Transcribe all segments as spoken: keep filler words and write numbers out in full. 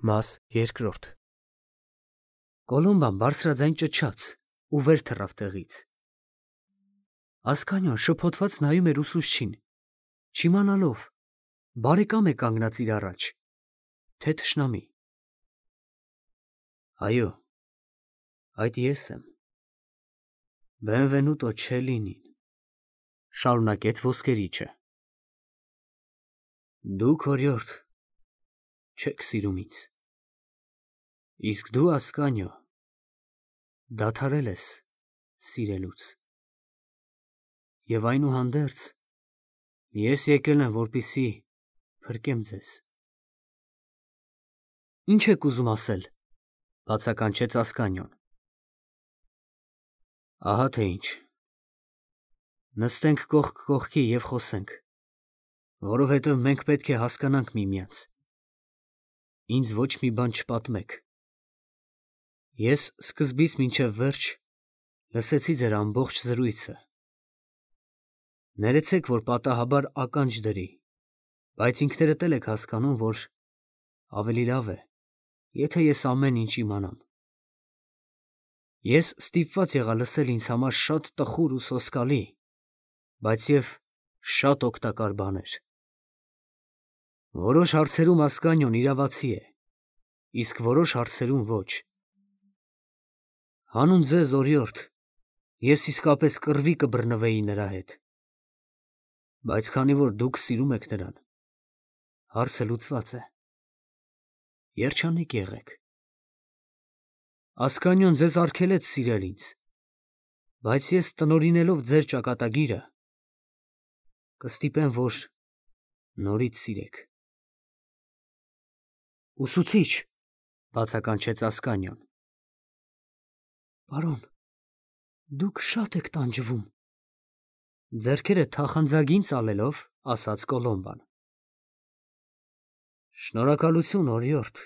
Մաս երկրորդ Կոլոմբան բարձրաձայն ճչաց ու վեր թռավ տեղից։ Ասկանյան շփոթված նայում էր ուսուցչին, չիմանալով, բարեկամ է կանգնած իր առաջ, թե թշնամի։ Այո, այդ ես եմ։ Բենվենուտո Չելինին, շարունակեց ոսկերիչը։ Դուք, օրիորդ, չեք սիրում ինձ, իսկ դու, Ասկանյո, դադարել ես սիրելուց, և այնուհանդերձ ես եկել եմ, որպեսզի փրկեմ ձեզ։ Ինչ եք ուզում ասել, բացականչեց Ասկանյոն։ Ահա թե ինչ, նստենք կողք կողքի և խոսենք, որովհետև մենք պետք է հասկանանք միմյանց, ինձ ոչ մի բան չպատմեք։ Ես սկզբից մինչև վերջ լսեցի ձեր ամբողջ զրույցը, ներեցեք, որ պատահաբար ականջ դրի, բայց ինքներդ էլ եք հասկանում, որ ավելի լավ է, եթե ես ամեն ինչ իմանամ։ Ես ստիպված եղա լսել ինձ համար շատ տխուր ու սոսկալի, բայց և շատ օգտակար բաներ։ Որոշ հարցերում Ասկանյոն իրավացի է, իսկ որոշ հարցերում ոչ։ Հանուն ձեզ, օրիորդ, ես իսկապես կռվի կբռնվեի նրա հետ, բայց քանի որ դուք սիրում եք նրան, հարցը լուծված է։ Երջանիկ եղեք։ Ասկանյոն ձեզ արգելեց սիրել ինձ, բայց ես տնօրինելով ձեր ճակատագիրը, կստիպեմ, որ նորից սիրեք։ Ուսուցիչ, բացականչեց Ասկանյոն։ Պարոն, դուք շատ եք տանջվում, ձեռքերը թախանձագին ծալելով, ասաց Կոլոմբան։ Շնորհակալություն, օրիորդ,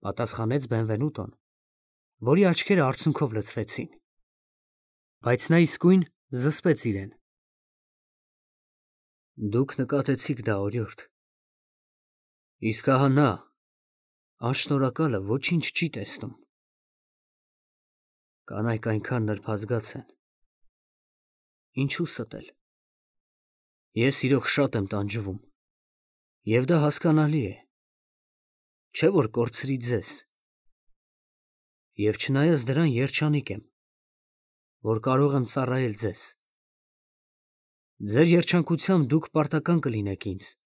պատասխանեց Բենվենուտոն, որի աչքերը արցունքով լցվեցին, բայց նա իսկույն զսպեց իրեն։ Դուք նկատեցիք դա, օրիորդ, իսկ ահա նա, անշնորհակալը, ոչինչ չի տեսնում։ Կանայք այնքան նրբազգաց են, ինչու ստել։ Ես իրոք շատ եմ տանջվում, և դա հասկանալի է, չէ՞ որ կորցրի ձեզ, և չնայած դրան երջանիկ եմ, որ կարող եմ ծառայել ձեզ։ Ձեր երջանկությամբ դուք պարտական կլինեք ինձ,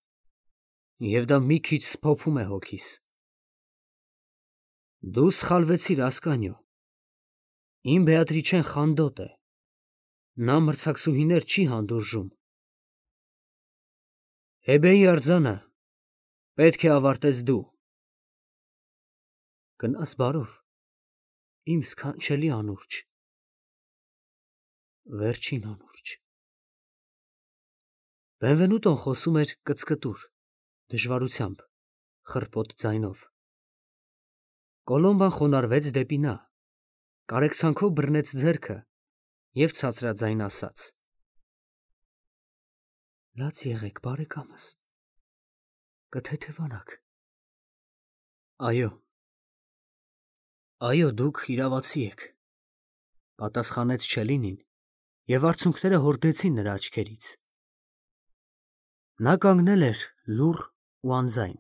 և դա մի քիչ սփոփում է հոգիս։ Դու սխալվեցիր, Ասկանյո, իմ Բեատրիչեն խանդոտ է, նա մրցակցուհիներ չի հանդուրժում։ Հեբեի արձանը պետք է ավարտես դու։ Գնաս բարով, իմ սքանչելի անուրջը, վերջին անուրջը։ Բենվենուտոն խոսում էր կծկտուր, դժվարությամբ, խռպոտ ձայնով։ Կոլոմբան խոնարհվեց դեպի նա, կարեկցանքով բռնեց ձեռքը և ցածրաձայն ասաց. Լաց եղեք, բարեկամս, կթեթևանաք։ Այո, այո, դուք իրավացի եք, պատասխանեց Չելինին, և արցունքները հորդեցին նրա աչքերից։ Նա կանգնել էր լուռ ու անձայն,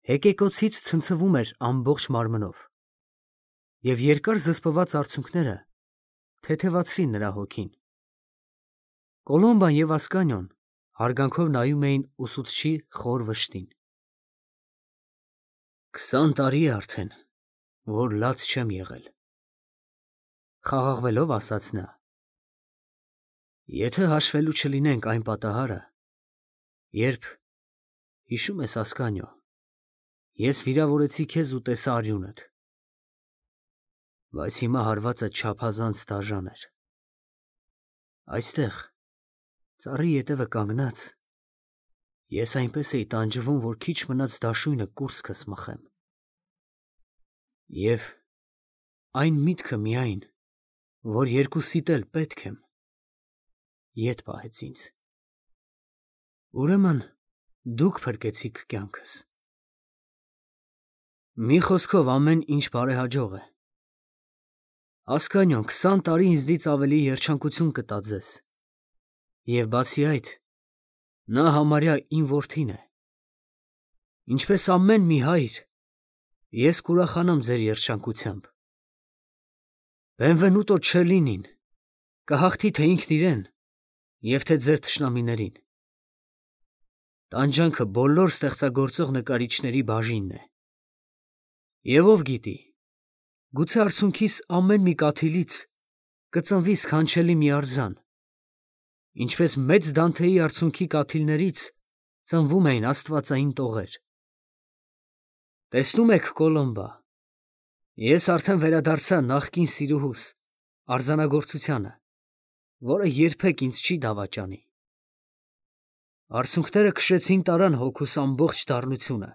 հեկեկոցից ցնցվում էր ամբողջ մարմնով, և երկար զսպված արցունքները թեթևացրին նրա հոգին։ Կոլոմբան և Ասկանյոն հարգանքով նայում էին ուսուցչի խոր վշտին։ Քսան տարի է արդեն, որ լաց չեմ եղել, խաղաղվելով ասաց նա։ Եթե հաշվելու չլինենք այն պատահարը, երբ, հիշում ես, Ասկանյո, ես վիրավորեցի քեզ ու տեսա արյունդ, բայց հիմա հարվածդ չափազանց դաժան էր։ Այստեղ, ծառի ետևը կանգնած, ես այնպես էի տանջվում, որ քիչ մնաց դաշույնը կուրծքս մխեմ։ Եվ այն միտքը միայն, որ երկուսիդ էլ պետք եմ, ետ պահեց ինձ։ Ուրեմն դուք փրկեցիք կյանքս։ Մի խոսքով ամեն ինչ բարեհաջող է։ Ասկանյոն քսան տարի ինձնից ավելի երջանկություն կտա ձեզ։ Եվ բացի այդ, նա համարյա իմ որդին է։ Ինչպես ամեն մի հայր, ես կուրախանամ ձեր երջանկությամբ։ Benvenuto Cellinin կհաղթի թե ինքն իրեն, և թե ձեր թշնամիներին։ Տանջանքը բոլոր ստեղծագործող նկարիչների բաժինն է։ Եվ ով գիտի, գուցե արցունքիս ամեն մի կաթիլից կծնվի սքանչելի մի արձան, ինչպես մեծ Դանթեի արցունքի կաթիլներից ծնվում էին աստվածային տողեր։ Տեսնում եք, Կոլոմբա, ես արդեն վերադարձա նախկին սիրուհուս արձանագործությանը, որը երբեք ինձ չի դավաճանի։ Արցունքները քշեցին տարան հոգուս ամբողջ դառնությունը։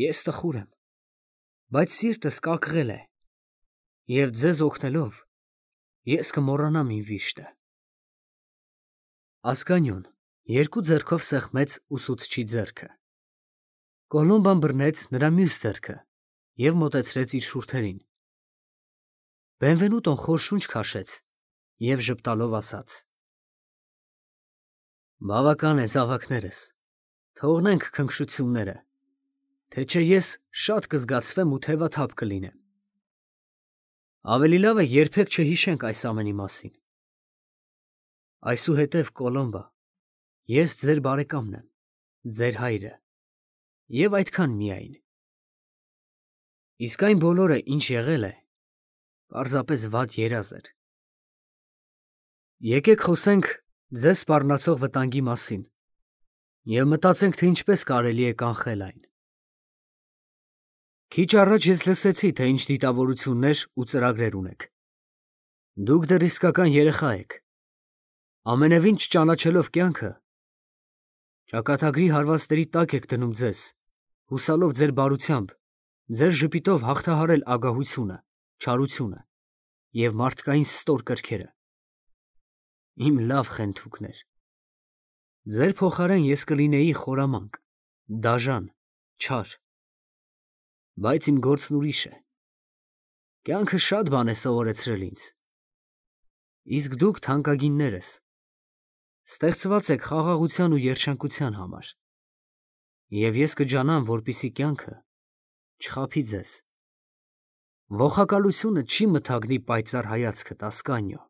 Ես տխուր եմ, բայց սիրտս կակղել է, և ձեզ օգնելով, ես կմոռանամ իմ վիշտը։ Ասկանյոն երկու ձեռքով սեղմեց ուսուցչի ձեռքը։ Կոլոմբան բռնեց նրա մյուս ձեռքը և մոտեցրեց իր շուրթերին։ Բենվենուտոն խոր շունչ քաշեց և ժպտալով ասաց. Բավական է, զավակներս, թողնենք քնքշությունները, թե չէ ես շատ կզգացվեմ ու թևաթափ կլինեմ։ Ավելի լավ է երբեք չհիշենք այս ամենի մասին։ Այսուհետև, Կոլոմբա, ես ձեր բարեկամն եմ, ձեր հայրը, և այդքան միայն։ Իսկ այն բոլորը, ինչ եղել է, պարզապես վատ երազ էր։ Եկեք խոսենք ձեզ սպառնացող վտանգի մասին և մտածենք, թե ինչպես կարելի է կանխել այն։ Քիչ առաջ ես լսեցի, թե ինչ դիտավորություններ ու ծրագրեր ունեք։ Դուք դեռ իսկական երեխա եք, ամենևին չճանաչելով կյանքը, ճակատագրի հարվածների տակ եք դնում ձեզ, հուսալով ձեր բարությամբ, ձեր ժպիտով հաղթահարել ագահությունը, չարությունը և մարդկային ստոր կրքերը։ Իմ լավ խենթուկներ, ձեր փոխարեն ես կլինեի խորամանկ, դաժան, չար, բայց իմ գործն ուրիշ է։ Կյանքը շատ բան է սովորեցրել ինձ։ Իսկ դուք թանկագիններս, ստեղծված եք խաղաղության ու երջանկության համար, և ես կջանամ, որպեսզի կյանքը չխաբի ձեզ։ Ողակալությունը չի մթագնի պայծառ հայացքդ, Ասկանյո,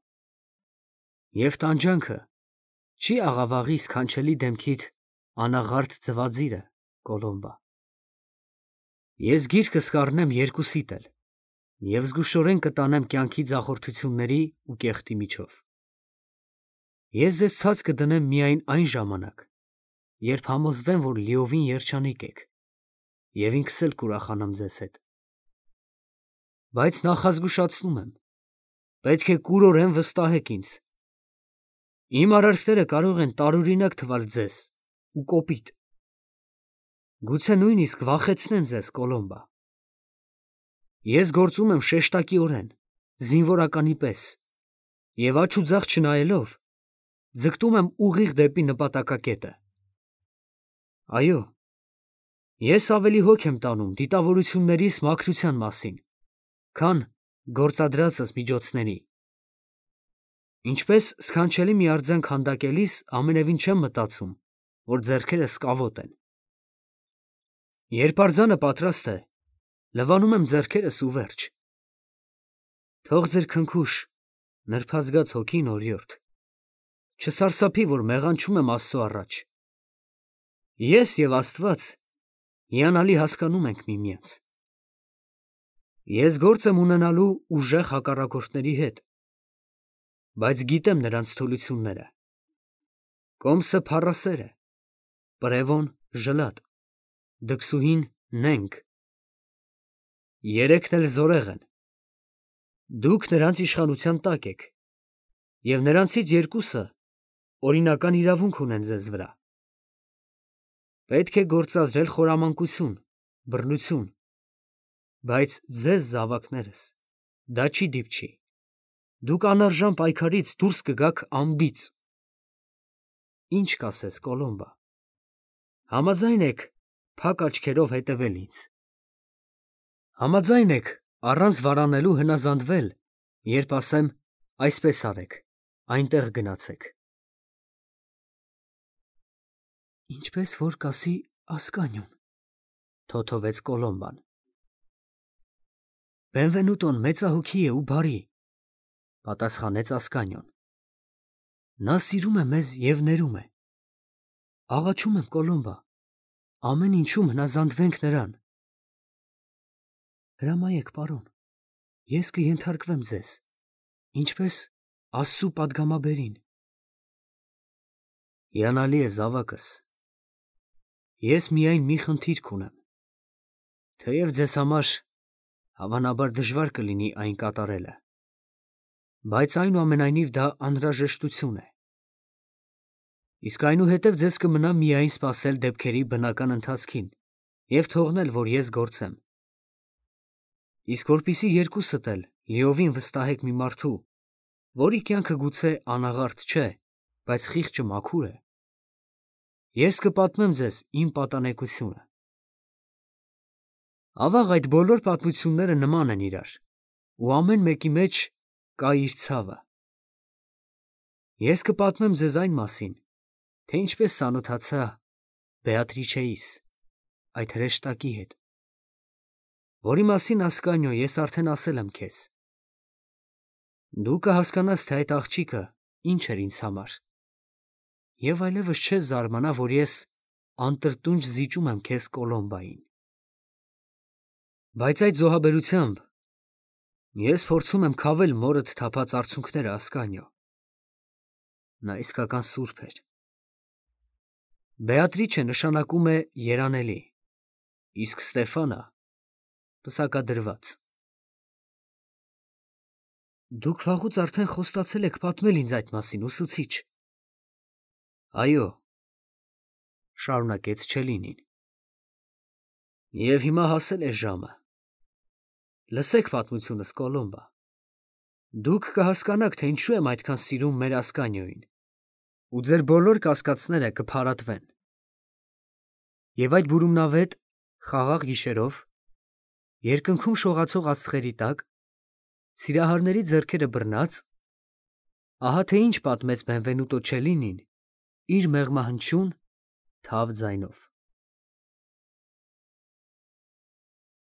և տանջանքը չի աղավաղի սքանչելի դեմքիդ անաղարտ ձվածիրը, Կոլոմբա։ Ես գիրկս կառնեմ երկուսիդ էլ և զգուշորեն կտանեմ կյանքի ձախորդությունների ու կեղտի միջով։ Ես ձեզ ցած կդնեմ միայն այն ժամանակ, երբ համոզվեմ, որ լիովին երջանիկ եք, և ինքս էլ կուրախանամ ձեզ հետ։ Բայց նախազգուշացնում եմ, պետք է կուրորեն վստահեք ինձ։ Իմ արարքները կարող են տարօրինակ թվալ ձեզ ու կոպիտ, գուցե նույնիսկ վախեցնեն ձեզ, Կոլոմբա։ Ես գործում եմ շեշտակիորեն, զինվորականի պես, և աջ ու ձախ չնայելով, ձգտում եմ ուղիղ դեպի նպատակակետը։ Այո, ես ավելի հոգ եմ տանում դիտավորություններիս մաքրության մասին, քան գործադրածս միջոցների։ Ինչպես սքանչելի մի արձան քանդակելիս ամենևին չեմ մտածում, որ ձեռքերս կավոտ են։ Երբ արձանը պատրաստ է, լվանում եմ ձեռքերս ու վերջ։ Թող ձեր քնքուշ, նրբազգաց հոգին, օրիորդ, չսարսափի, որ մեղանչում եմ Աստծո առաջ։ Ես և Աստված հիանալի հասկանում ենք միմյանց։ Ես գործ եմ ունենալու ուժեղ հակառակորդների հետ, բայց գիտեմ նրանց թուլությունները։ Կոմսը փառասեր է, պրևոն ժլատ, դքսուհին նենգ, երեքն էլ զորեղ են։ Դուք նրանց իշխանության տակ եք, և նրանցից երկուսը օրինական իրավունք ունեն ձեզ վրա։ Պետք է գործադրել խորամանկություն, բռնություն, բայց ձեզ, զավակներս, դա չի դիպչի։ Դուք անարժան պայքարից դուրս կգաք անբիծ։ Ինչ կասես, Կոլոմբա, համաձայն եք փակ աչքերով հետևել ինձ։ Համաձայն եք առանց վարանելու հնազանդվել, երբ ասեմ այսպես արեք, այնտեղ գնացեք։ Ինչպես որ կասի Ասկանյոն, թոթովեց Կոլոմբան։ Բենվենուտոն մեծահոգի է ու բարի, պատասխանեց Ասկանյոն։ Նա սիրում է մեզ և ներում է։ Աղաչում եմ Կոլոմբա, ամեն ինչում հնազանդվենք նրան։ Հրամայեք, պարոն, ես կենթարկվեմ ձեզ, ինչպես Աստծու պատգամաբերին։ Հիանալի է զավակս։ Ես միայն մի խնդիր կունեմ, թեև ձեզ համար հավանաբար դժվար կլինի այն կատարելը, բայց այնուամենայնիվ դա անհրաժեշտություն է։ Իսկ այնուհետև ձեզ կմնա միայն սպասել դեպքերի բնական ընթացքին և թողնել, որ ես գործեմ։ Իսկ որպեսզի երկուսդ էլ լիովին վստահեք մի մարդու, որի կյանքը գուցե անաղարտ չէ, բայց խիղճը մաքուր է, ես կպատմեմ ձեզ իմ պատանեկությունը։ Ավաղ այդ բոլոր պատմությունները նման են իրար, ու ամեն մեկի մեջ կա իր ցավը։ Ես կպատմեմ ձեզ այն մասին, թե ինչպես ծանոթացա Բեատրիչեիս, այդ հրեշտակի հետ, որի մասին, Ասկանյո, ես արդեն ասել եմ քեզ։ Դու կհասկանաս, թե այդ աղջիկը ինչ էր ինձ համար, և այլևս չես զարմանա, որ ես անտրտունջ զիջում եմ քեզ Կոլոմբային։ Բայց այդ զոհաբերությամբ ես փորձում եմ քավել մորդ թափած արցունքները, Ասկանյո։ Նա իսկական սուրբ էր։ Բեատրիչը նշանակում է երանելի, իսկ Ստեֆանը պսակադրված։ Դուք վաղուց արդեն խոստացել եք պատմել ինձ այդ մասին, ուսուցիչ։ Այո, շարունակեց Չելինին։ Եվ հիմա հասել է ժամը։ Լսեք պատմությունս, Կոլոմբա։ Դուք կհասկանաք, թե ինչու եմ այդքան սիրում մեր Ասկանյոյին, ու ձեր բոլոր կասկածները կփարատվեն։ Եվ այդ բուրումնավետ, խաղաղ գիշերով, երկնքում շողացող աստղերի տակ, սիրահարների ձեռքերը բռնած, ահա թե ինչ պատմեց Բենվենուտո Չելինին իր մեղմահնչյուն թավ ձայնով։